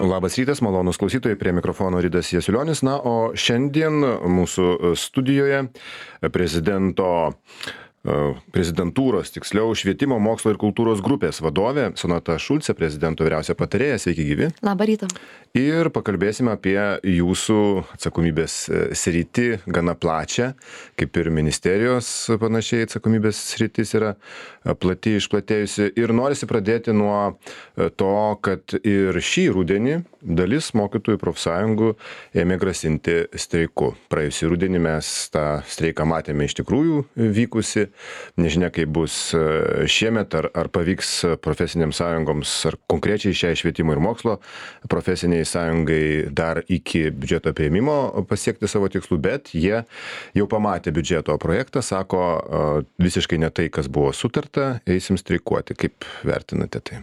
Labas rytas, malonus klausytojai, prie mikrofono Ridas Jasiulionis. Na, o šiandien mūsų studijoje prezidentūros, tiksliau, švietimo, mokslo ir kultūros grupės vadovė Sonata Šulcė, prezidento vyriausia patarėja. Sveiki gyvi. Labą rytą. Ir pakalbėsime apie jūsų atsakomybės sritį gana plačią, kaip ir ministerijos panašiai atsakomybės sritis yra plati, išplatėjusi. Ir norisi pradėti nuo to, kad ir šį rudenį dalis mokytojų profsąjungų ėmė grasinti streiku. Praėjusį rudenį mes tą streiką matėme iš tikrųjų vykusi. Nežinia, kaip bus šiemet, ar pavyks profesinėms sąjungoms, ar konkrečiai šiai švietimo ir mokslo profesiniai sąjungai dar iki biudžeto priėmimo pasiekti savo tikslų, bet jie jau pamatė biudžeto projektą, sako visiškai ne tai, kas buvo sutarta, eisim streikuoti. Kaip vertinate tai?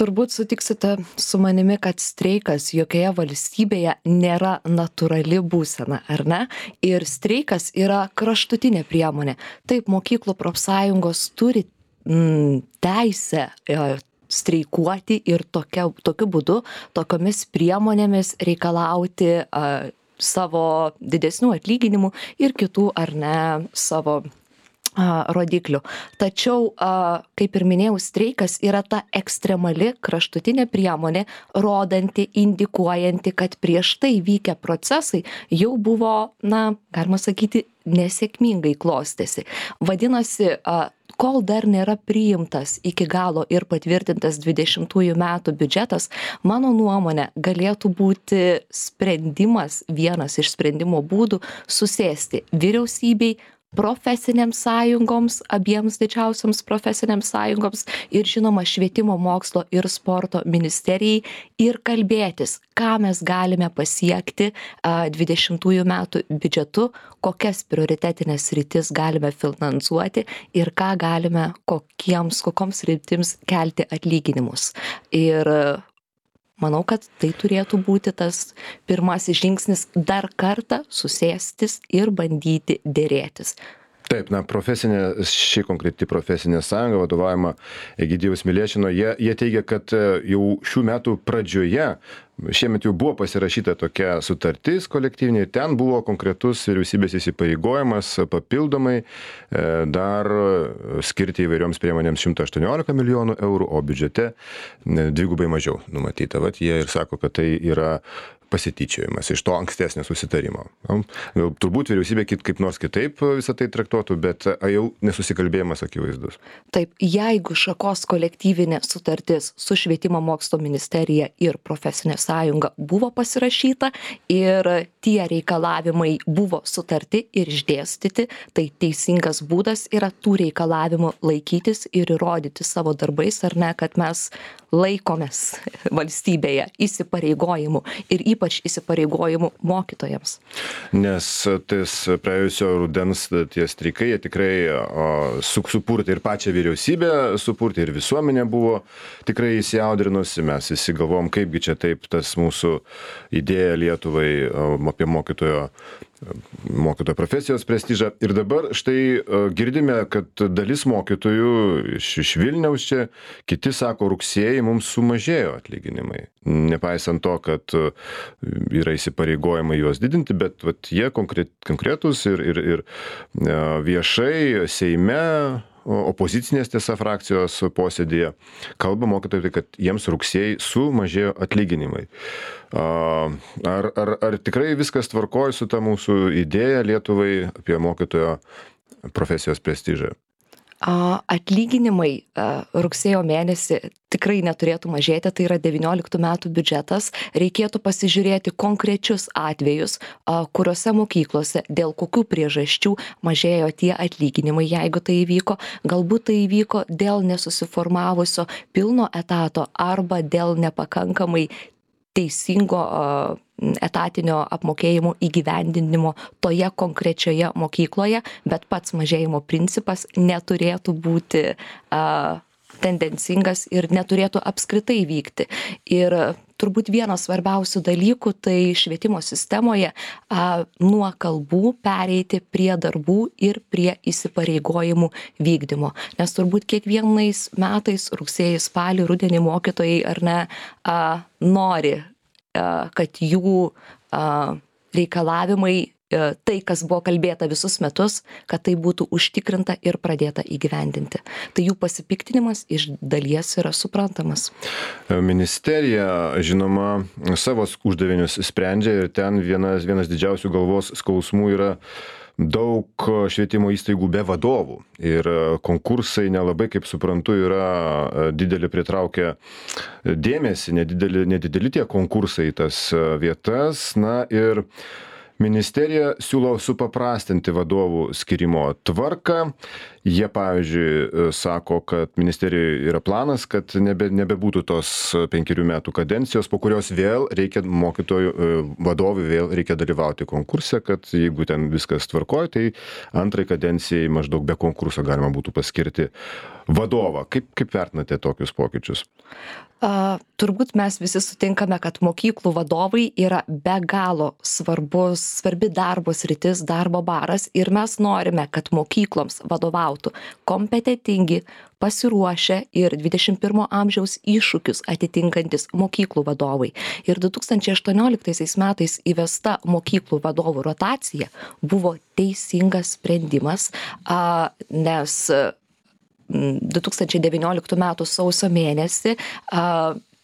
Turbūt sutiksite su manimi, kad streikas jokioje valstybėje nėra natūrali būsena, ar ne? Ir streikas yra kraštutinė priemonė. Taip, mokyklų profsąjungos turi teisę streikuoti ir tokiu būdu, tokiomis priemonėmis reikalauti savo didesnių atlyginimų ir kitų, ar ne, savo rodiklių. Tačiau, kaip ir minėjau, streikas yra ta ekstremali kraštutinė priemonė, rodanti, indikuojanti, kad prieš tai vykę procesai jau buvo, galima sakyti, nesėkmingai klostėsi. Vadinasi, kol dar nėra priimtas iki galo ir patvirtintas 20 metų biudžetas, mano nuomonė galėtų būti sprendimas, vienas iš sprendimo būdų, susėsti vyriausybei, profesinėms sąjungoms, abiems didžiausiams profesinėms sąjungoms ir žinoma švietimo, mokslo ir sporto ministerijai ir kalbėtis, ką mes galime pasiekti 20 metų biudžetu, kokias prioritetinės sritis galime finansuoti ir ką galime kokioms sritims kelti atlyginimus. Ir manau, kad tai turėtų būti tas pirmasis žingsnis dar kartą susėstis ir bandyti dėrėtis. Taip, ši konkreti profesinė sąjunga vadovaujama Egidijaus Milėšino, jie teigia, kad jau šių metų pradžioje, šiemet jau buvo pasirašyta tokia sutartis kolektyvinė, ten buvo konkretus vyriausybės įsipareigojimas papildomai dar skirti įvairioms priemonėms 118 milijonų eurų, o biudžete dvigubai mažiau numatyta. Vat jie ir sako, kad tai yra pasityčiojimas iš to ankstesnio susitarimo. Turbūt vyriausybė kaip nors kitaip visą tai traktuotų, bet jau nesusikalbėjimas akivaizdus. Taip, jeigu šakos kolektyvinė sutartis su švietimo mokslo ministerija ir profesinė sąjunga buvo pasirašyta ir tie reikalavimai buvo sutarti ir išdėstyti, tai teisingas būdas yra tų reikalavimų laikytis ir įrodyti savo darbais, ar ne, kad mes laikomės valstybėje įsipareigojimų ir ypač įsipareigojimų mokytojams. Nes tais praėjusio rudens tie streikai, jie tikrai supurtė ir pačią vyriausybę, supurtė ir visuomenė buvo tikrai įsiaudrinusi. Mes visi galvom, kaipgi čia taip tas mūsų idėja Lietuvai apie mokytojo profesijos prestižą. Ir dabar štai girdime, kad dalis mokytojų iš Vilniaus čia, kiti sako, rugsėjį mums sumažėjo atlyginimai. Nepaisant to, kad yra įsipareigojimai juos didinti, bet jie konkretus ir viešai Seime, opozicinės tiesa frakcijos posėdėje kalba mokytojai, kad jiems rugsėjai sumažėjo atlyginimai. Ar tikrai viskas tvarkoja su ta mūsų idėja Lietuvai apie mokytojo profesijos prestižą? Atlyginimai rugsėjo mėnesį tikrai neturėtų mažėti, tai yra 19 metų biudžetas. Reikėtų pasižiūrėti konkrečius atvejus, kuriuose mokyklose dėl kokių priežasčių mažėjo tie atlyginimai, jeigu tai įvyko. Galbūt tai įvyko dėl nesusiformavusio pilno etato arba dėl nepakankamai teisingo etatinio apmokėjimo įgyvendinimo toje konkrečioje mokykloje, bet pats mažėjimo principas neturėtų būti tendencingas ir neturėtų apskritai vykti. Ir turbūt vienas svarbiausių dalykų tai švietimo sistemoje nuo kalbų pereiti prie darbų ir prie įsipareigojimų vykdymo. Nes turbūt kiekvienais metais rugsėjį, spalį, rudenį mokytojai ar ne nori kad jų reikalavimai, tai, kas buvo kalbėta visus metus, kad tai būtų užtikrinta ir pradėta įgyvendinti. Tai jų pasipiktinimas iš dalies yra suprantamas. Ministerija, žinoma, savo uždavinius sprendžia ir ten vienas didžiausių galvos skausmų yra daug švietimo įstaigų be vadovų. Ir konkursai nelabai, kaip suprantu, yra didelį pritraukę dėmesį, nedideli tie konkursai į tas vietas. Na ir ministerija siūlo supaprastinti vadovų skyrimo tvarką. Jie, pavyzdžiui, sako, kad ministerijoje yra planas, kad nebebūtų tos 5 metų kadencijos, po kurios vėl reikia vadovui vėl reikia dalyvauti konkurse, kad jeigu ten viskas tvarkoja, tai antrai kadencijai maždaug be konkurso galima būtų paskirti vadovą. Kaip vertinate tokius pokyčius? Turbūt mes visi sutinkame, kad mokyklų vadovai yra be galo svarbi darbo sritis, darbo baras ir mes norime, kad mokykloms vadovautų kompetentingi, pasiruošę ir 21 amžiaus iššūkius atitinkantis mokyklų vadovai. Ir 2018 metais įvesta mokyklų vadovų rotacija buvo teisingas sprendimas, nes 2019 m. sausio mėnesį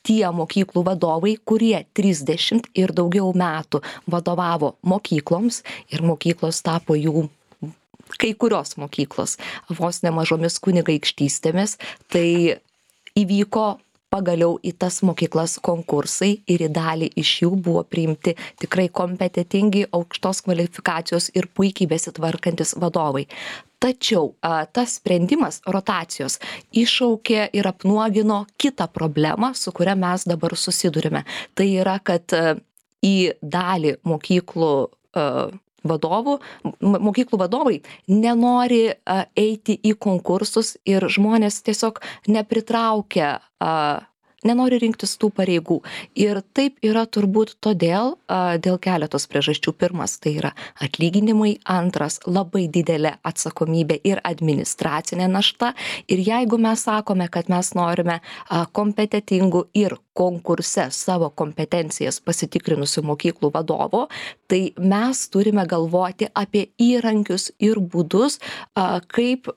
tie mokyklų vadovai, kurie 30 ir daugiau metų vadovavo mokykloms ir mokyklos tapo jų, kai kurios mokyklos, vos nemažomis kunigaikštystėmis, tai įvyko pagaliau į tas mokyklas konkursai ir į dalį iš jų buvo priimti tikrai kompetentingi, aukštos kvalifikacijos ir puikiai besitvarkantis vadovai. Tačiau tas sprendimas rotacijos iššaukė ir apnuogino kitą problemą, su kuria mes dabar susidurime. Tai yra, kad į dalį mokyklų vadovai nenori eiti į konkursus ir žmonės tiesiog nepritraukia, nenori rinktis tų pareigų. Ir taip yra turbūt dėl keletos priežasčių. Pirmas, tai yra atlyginimai. Antras, labai didelė atsakomybė ir administracinė našta. Ir jeigu mes sakome, kad mes norime kompetentingų ir konkurse savo kompetencijas pasitikrinusių mokyklų vadovo, tai mes turime galvoti apie įrankius ir būdus, kaip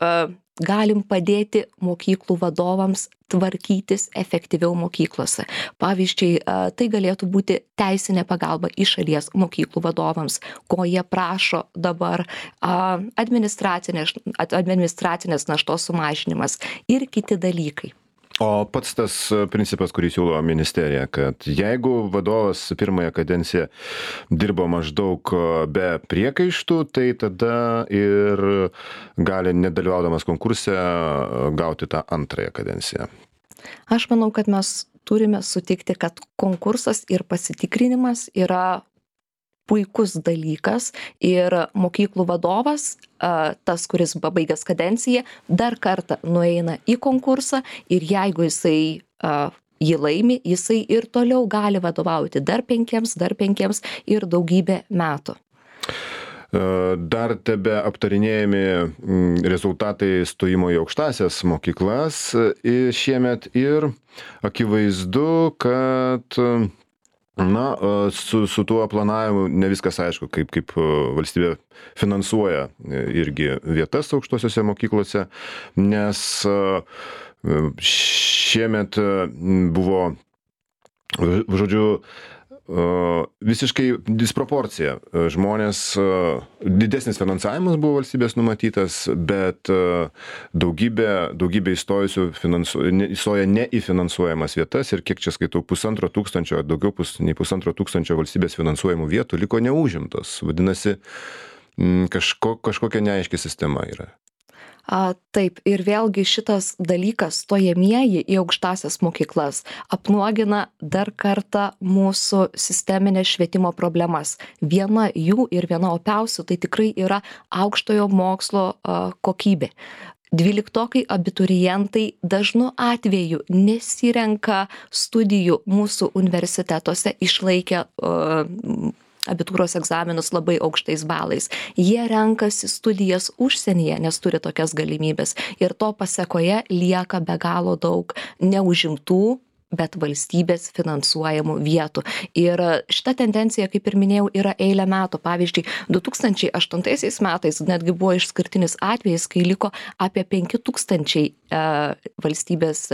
galim padėti mokyklų vadovams tvarkytis efektyviau mokyklose. Pavyzdžiui, tai galėtų būti teisinė pagalba iš šalies mokyklų vadovams, ko jie prašo dabar, administracinės naštos sumažinimas ir kiti dalykai. O pats tas principas, kurį siūlo ministerija, kad jeigu vadovas pirmąją kadenciją dirbo maždaug be priekaištų, tai tada ir gali, nedalyvaudamas konkurse, gauti tą antrąją kadenciją. Aš manau, kad mes turime sutikti, kad konkursas ir pasitikrinimas yra puikus dalykas ir mokyklų vadovas, tas, kuris pabaigęs kadenciją, dar kartą nueina į konkursą ir jeigu jisai jį laimi, jisai ir toliau gali vadovauti dar 5 ir daugybę metų. Dar tebe aptarinėjami rezultatai stojimo į aukštąsias mokyklas šiemet ir akivaizdu, kad su tuo planavimu ne viskas aišku, kaip valstybė finansuoja irgi vietas aukštosiose mokyklose, nes šiemet buvo, žodžiu, visiškai disproporcija. Didesnis finansavimas buvo valstybės numatytas, bet daugybė įstojusių įstoja ne į finansuojamas vietas ir kiek čia skaitau, 1500, daugiau nei 1500 valstybės finansuojamų vietų liko neužimtos. Vadinasi, kažkokia neaiški sistema yra. Taip, ir vėlgi šitas dalykas, stojamieji į aukštąsias mokyklas, apnuogina dar kartą mūsų sisteminės švietimo problemas. Viena jų ir viena opiausių tai tikrai yra aukštojo mokslo kokybė. 12 abiturientai dažnu atveju nesirenka studijų mūsų universitetuose, išlaikę abitūros egzaminus labai aukštais balais. Jie renkasi studijas užsienyje, nes turi tokias galimybės. Ir to pasekoje lieka be galo daug neužimtų bet valstybės finansuojamų vietų. Ir šita tendencija, kaip ir minėjau, yra eilę metų. Pavyzdžiui, 2008 metais netgi buvo išskirtinis atvejis, kai liko apie 5000 valstybės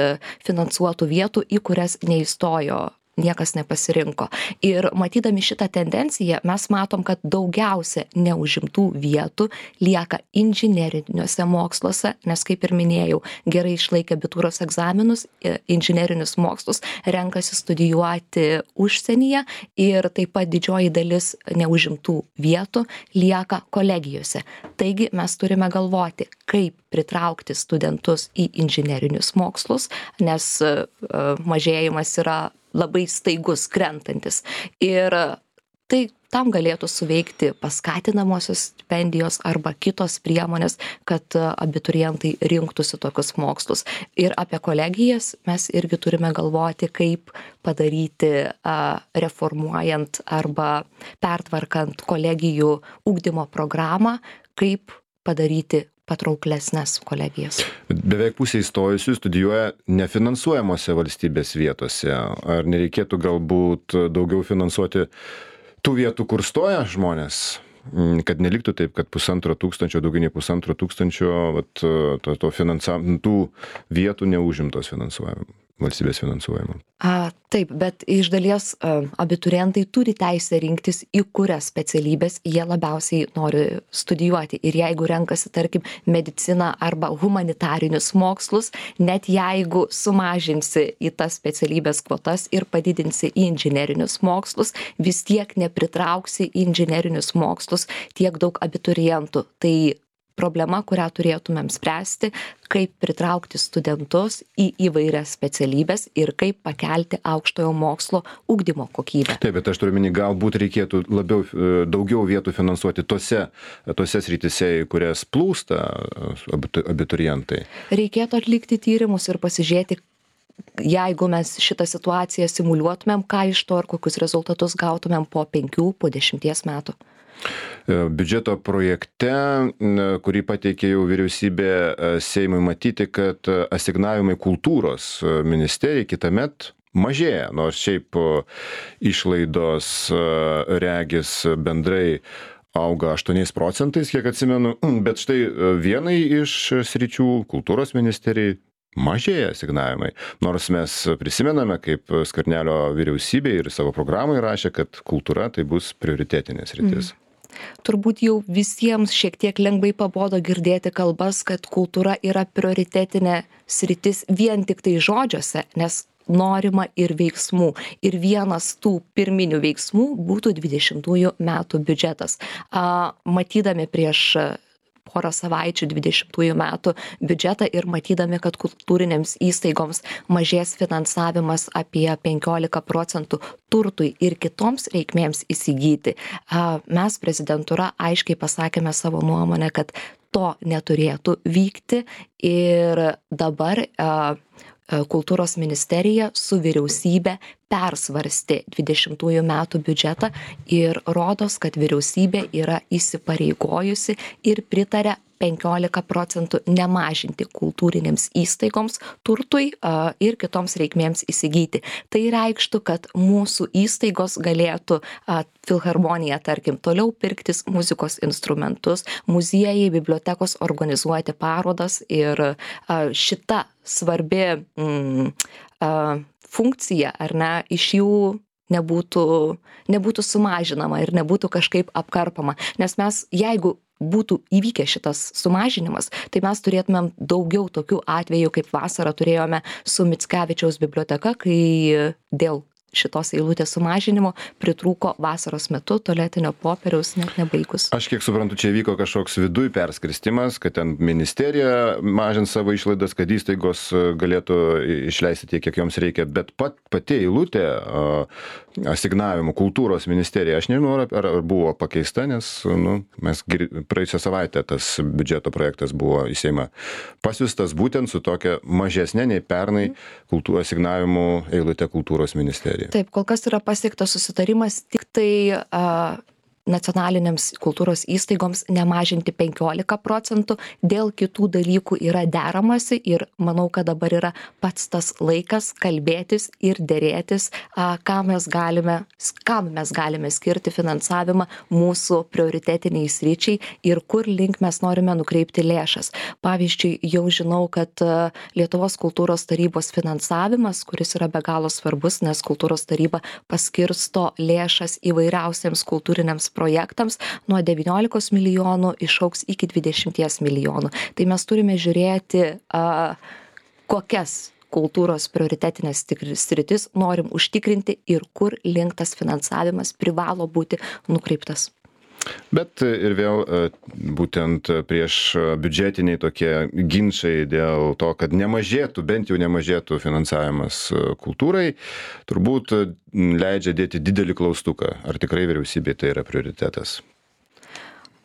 finansuotų vietų, į kurias neįstojo, niekas nepasirinko. Ir matydami šitą tendenciją, mes matom, kad daugiausia neužimtų vietų lieka inžineriniuose moksluose, nes, kaip ir minėjau, gerai išlaikę abitūros egzaminus, inžinerinius mokslus renkasi studijuoti užsienyje ir taip pat didžioji dalis neužimtų vietų lieka kolegijose. Taigi mes turime galvoti, kaip pritraukti studentus į inžinerinius mokslus, nes mažėjimas yra labai staigus, krentantis. Ir tai tam galėtų suveikti paskatinamosios stipendijos arba kitos priemonės, kad abiturientai rinktųsi tokius mokslus. Ir apie kolegijas mes irgi turime galvoti, kaip padaryti reformuojant arba pertvarkant kolegijų ugdymo programą, kaip padaryti patrauklesnės kolegijas. Beveik pusė įstojusių studijuoja nefinansuojamose valstybės vietose. Ar nereikėtų galbūt daugiau finansuoti tų vietų, kur stoja žmonės? Kad neliktų taip, kad 1500, daugiau nei 1500 tų vietų neužimtos valstybės finansuojama. Taip, bet iš dalies abiturientai turi teisę rinktis, į kurias specialybės jie labiausiai nori studijuoti. Ir jeigu renkasi, tarkim, mediciną arba humanitarinius mokslus, net jeigu sumažinsi į tas specialybės kvotas ir padidinsi į inžinerinius mokslus, vis tiek nepritrauksi į inžinerinius mokslus tiek daug abiturientų. Tai problema, kurią turėtumėm spręsti, kaip pritraukti studentus į įvairias specialybės ir kaip pakelti aukštojo mokslo ugdymo kokybę. Taip, bet aš turiu omeny, galbūt reikėtų daugiau vietų finansuoti tose srityse, į kurias plūsta abiturientai. Reikėtų atlikti tyrimus ir pasižiūrėti, jeigu mes šitą situaciją simuliuotumėm, ką iš to ir kokius rezultatus gautumėm po 5, po 10 metų. Biudžeto projekte, kurį pateikė jau vyriausybė Seimui, matyti, kad asignavimai kultūros ministerijai kitąmet mažėja, nors šiaip išlaidos regis bendrai auga 8%, kiek atsimenu, bet štai vienai iš sričių kultūros ministerijai mažėja asignavimai. Nors mes prisimename, kaip Skvernelio vyriausybė ir savo programai rašė, kad kultūra tai bus prioritetinė sritis. Turbūt jau visiems šiek tiek lengvai pabodo girdėti kalbas, kad kultūra yra prioritetinė sritis vien tik tai žodžiuose, nes norima ir veiksmų. Ir vienas tų pirminių veiksmų būtų 20 metų biudžetas. Matydami prieš porą savaičių 20 metų biudžetą ir matydami, kad kultūrinėms įstaigoms mažės finansavimas apie 15% turtui ir kitoms reikmėms įsigyti, mes prezidentūra aiškiai pasakėme savo nuomonę, kad to neturėtų vykti ir dabar kultūros ministerija su vyriausybė persvarstė 20 metų biudžetą ir rodos, kad vyriausybė yra įsipareigojusi ir pritarė 15% nemažinti kultūrinėms įstaigoms turtui ir kitoms reikmėms įsigyti. Tai reikštų, kad mūsų įstaigos galėtų filharmonija, tarkim, toliau pirktis muzikos instrumentus, muziejai, bibliotekos organizuoti parodas ir šita svarbi funkcija, ar ne, iš jų nebūtų sumažinama ir nebūtų kažkaip apkarpama. Nes mes, jeigu būtų įvykęs šitas sumažinimas, tai mes turėtumėm daugiau tokių atvejų, kaip vasarą turėjome su Mickevičiaus biblioteka, kai dėl šitos eilutės sumažinimo pritrūko vasaros metu tualetinio popieriaus net nebaigus. Aš kiek suprantu, čia vyko kažkoks viduj perskirstimas, kad ten ministerija mažins savo išlaidas, kad įstaigos galėtų išleisti tiek, kiek joms reikia, bet pati eilutė asignavimų kultūros ministerija, aš nežinau, ar buvo pakeista, nes mes praėjusią savaitę tas biudžeto projektas buvo į Seimą pasiųstas būtent su tokia mažesnė nei pernai asignavimų eilutė kultūros ministerija. Taip, kol kas yra pasiektas susitarimas, tik tai nacionalinėms kultūros įstaigoms nemažinti 15%, dėl kitų dalykų yra deramasi ir manau, kad dabar yra pats tas laikas kalbėtis ir dėrėtis, kam mes galime skirti finansavimą mūsų prioritetiniai sričiai ir kur link mes norime nukreipti lėšas. Pavyzdžiui, jau žinau, kad Lietuvos kultūros tarybos finansavimas, kuris yra be galo svarbus, nes kultūros taryba paskirsto lėšas įvairiausiems kultūriniams projektams, nuo 19 milijonų išaugs iki 20 milijonų. Tai mes turime žiūrėti, kokias kultūros prioritetinės sritis norim užtikrinti ir kur link tas finansavimas privalo būti nukreiptas. Bet ir vėl būtent prieš biudžetiniai tokie ginčai dėl to, kad bent jau nemažėtų finansavimas kultūrai, turbūt leidžia dėti didelį klaustuką, ar tikrai vyriausybei tai yra prioritetas.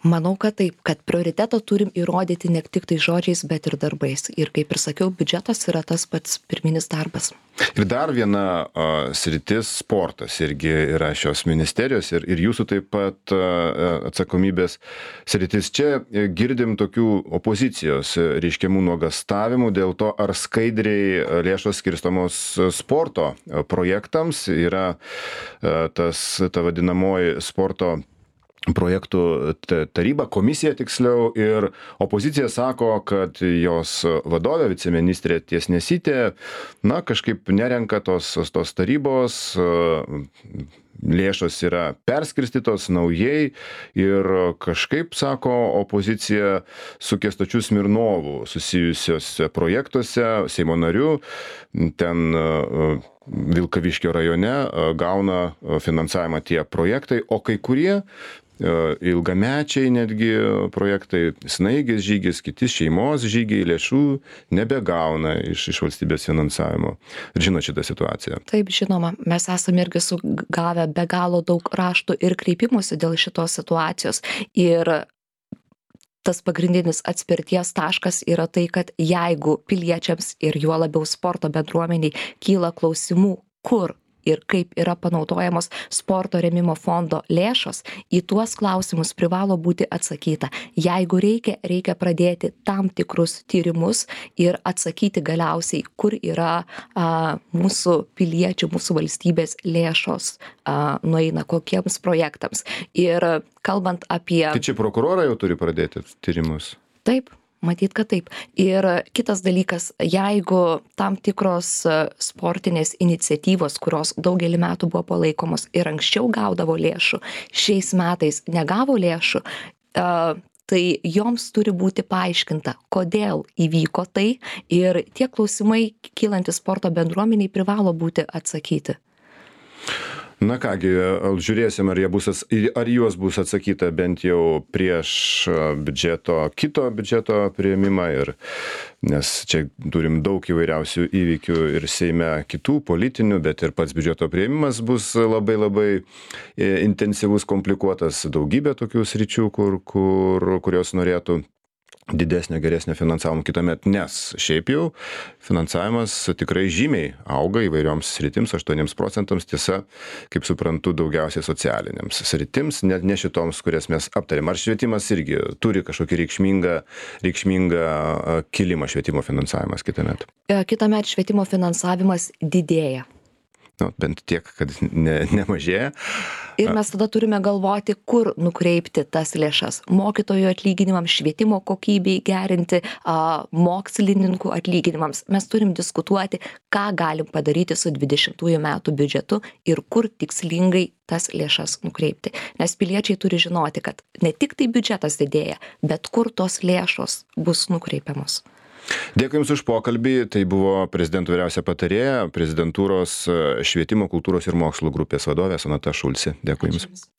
Manau, kad taip, kad prioritetą turim įrodyti ne tik tai žodžiais, bet ir darbais. Ir kaip ir sakiau, biudžetas yra tas pats pirminis darbas. Ir dar viena sritis - sportas irgi yra šios ministerijos ir jūsų taip pat atsakomybės sritis. Čia girdim tokių opozicijos reiškiamų nuogastavimų dėl to, ar skaidriai lėšos skirstomos sporto projektams. Yra ta vadinamoji sporto projektų taryba, komisija tiksliau, ir opozicija sako, kad jos vadovė, viceministrė Tiesnesytė, kažkaip nerenka tos tarybos, lėšos yra perskirstytos naujai ir kažkaip, sako opozicija, su Kęstučiu Smirnovu susijusiuose projektuose, Seimo nariu, ten Vilkaviškio rajone gauna finansavimą tie projektai, o kai kurie ilgamečiai netgi projektai, Snaigės žygis, kiti šeimos žygiai lėšų nebegauna iš valstybės finansavimo. Ir žino šitą situaciją. Taip, žinoma, mes esame irgi sugavę be galo daug raštų ir kreipimusi dėl šitos situacijos. Ir tas pagrindinis atspirties taškas yra tai, kad jeigu piliečiams ir juo labiau sporto bendruomeniai kyla klausimų, kur ir kaip yra panaudojamos sporto rėmimo fondo lėšos, į tuos klausimus privalo būti atsakyta. Jeigu reikia pradėti tam tikrus tyrimus ir atsakyti galiausiai, kur yra mūsų piliečių, mūsų valstybės lėšos nueina kokiems projektams. Ir kalbant apie... Tai čia prokurorai jau turi pradėti tyrimus? Taip. Matyt, kad taip. Ir kitas dalykas, jeigu tam tikros sportinės iniciatyvos, kurios daugelį metų buvo palaikomos ir anksčiau gaudavo lėšų, šiais metais negavo lėšų, tai joms turi būti paaiškinta, kodėl įvyko tai ir tie klausimai kylantis sporto bendruomeniai privalo būti atsakyti. Na kągi, žiūrėsim, ar juos bus atsakyta bent jau prieš kito biudžeto priėmimą, nes čia turim daug įvairiausių įvykių ir Seime kitų politinių, bet ir pats biudžeto priėmimas bus labai intensyvus, komplikuotas, daugybė tokių sričių, kurios norėtų didesnio, geresnio finansavimo kitąmet, nes šiaip jau finansavimas tikrai žymiai auga įvairioms sritims, 8%, tiesa, kaip suprantu, daugiausiai socialiniams sritims, net ne šitoms, kurias mes aptarėm. Ar švietimas irgi turi kažkokį reikšmingą kilimą švietimo finansavimas kitąmet? Kitąmet švietimo finansavimas didėja. Bent tiek, kad nemažėja. Ir mes tada turime galvoti, kur nukreipti tas lėšas. Mokytojų atlyginimams, švietimo kokybei gerinti, mokslininkų atlyginimams. Mes turim diskutuoti, ką galim padaryti su 20 metų biudžetu ir kur tikslingai tas lėšas nukreipti. Nes piliečiai turi žinoti, kad ne tik tai biudžetas didėja, bet kur tos lėšos bus nukreipiamos. Dėkui Jums už pokalbį. Tai buvo prezidento vyriausia patarėja, prezidentūros švietimo, kultūros ir mokslo grupės vadovė Sonata Šulcė. Dėkui Jums.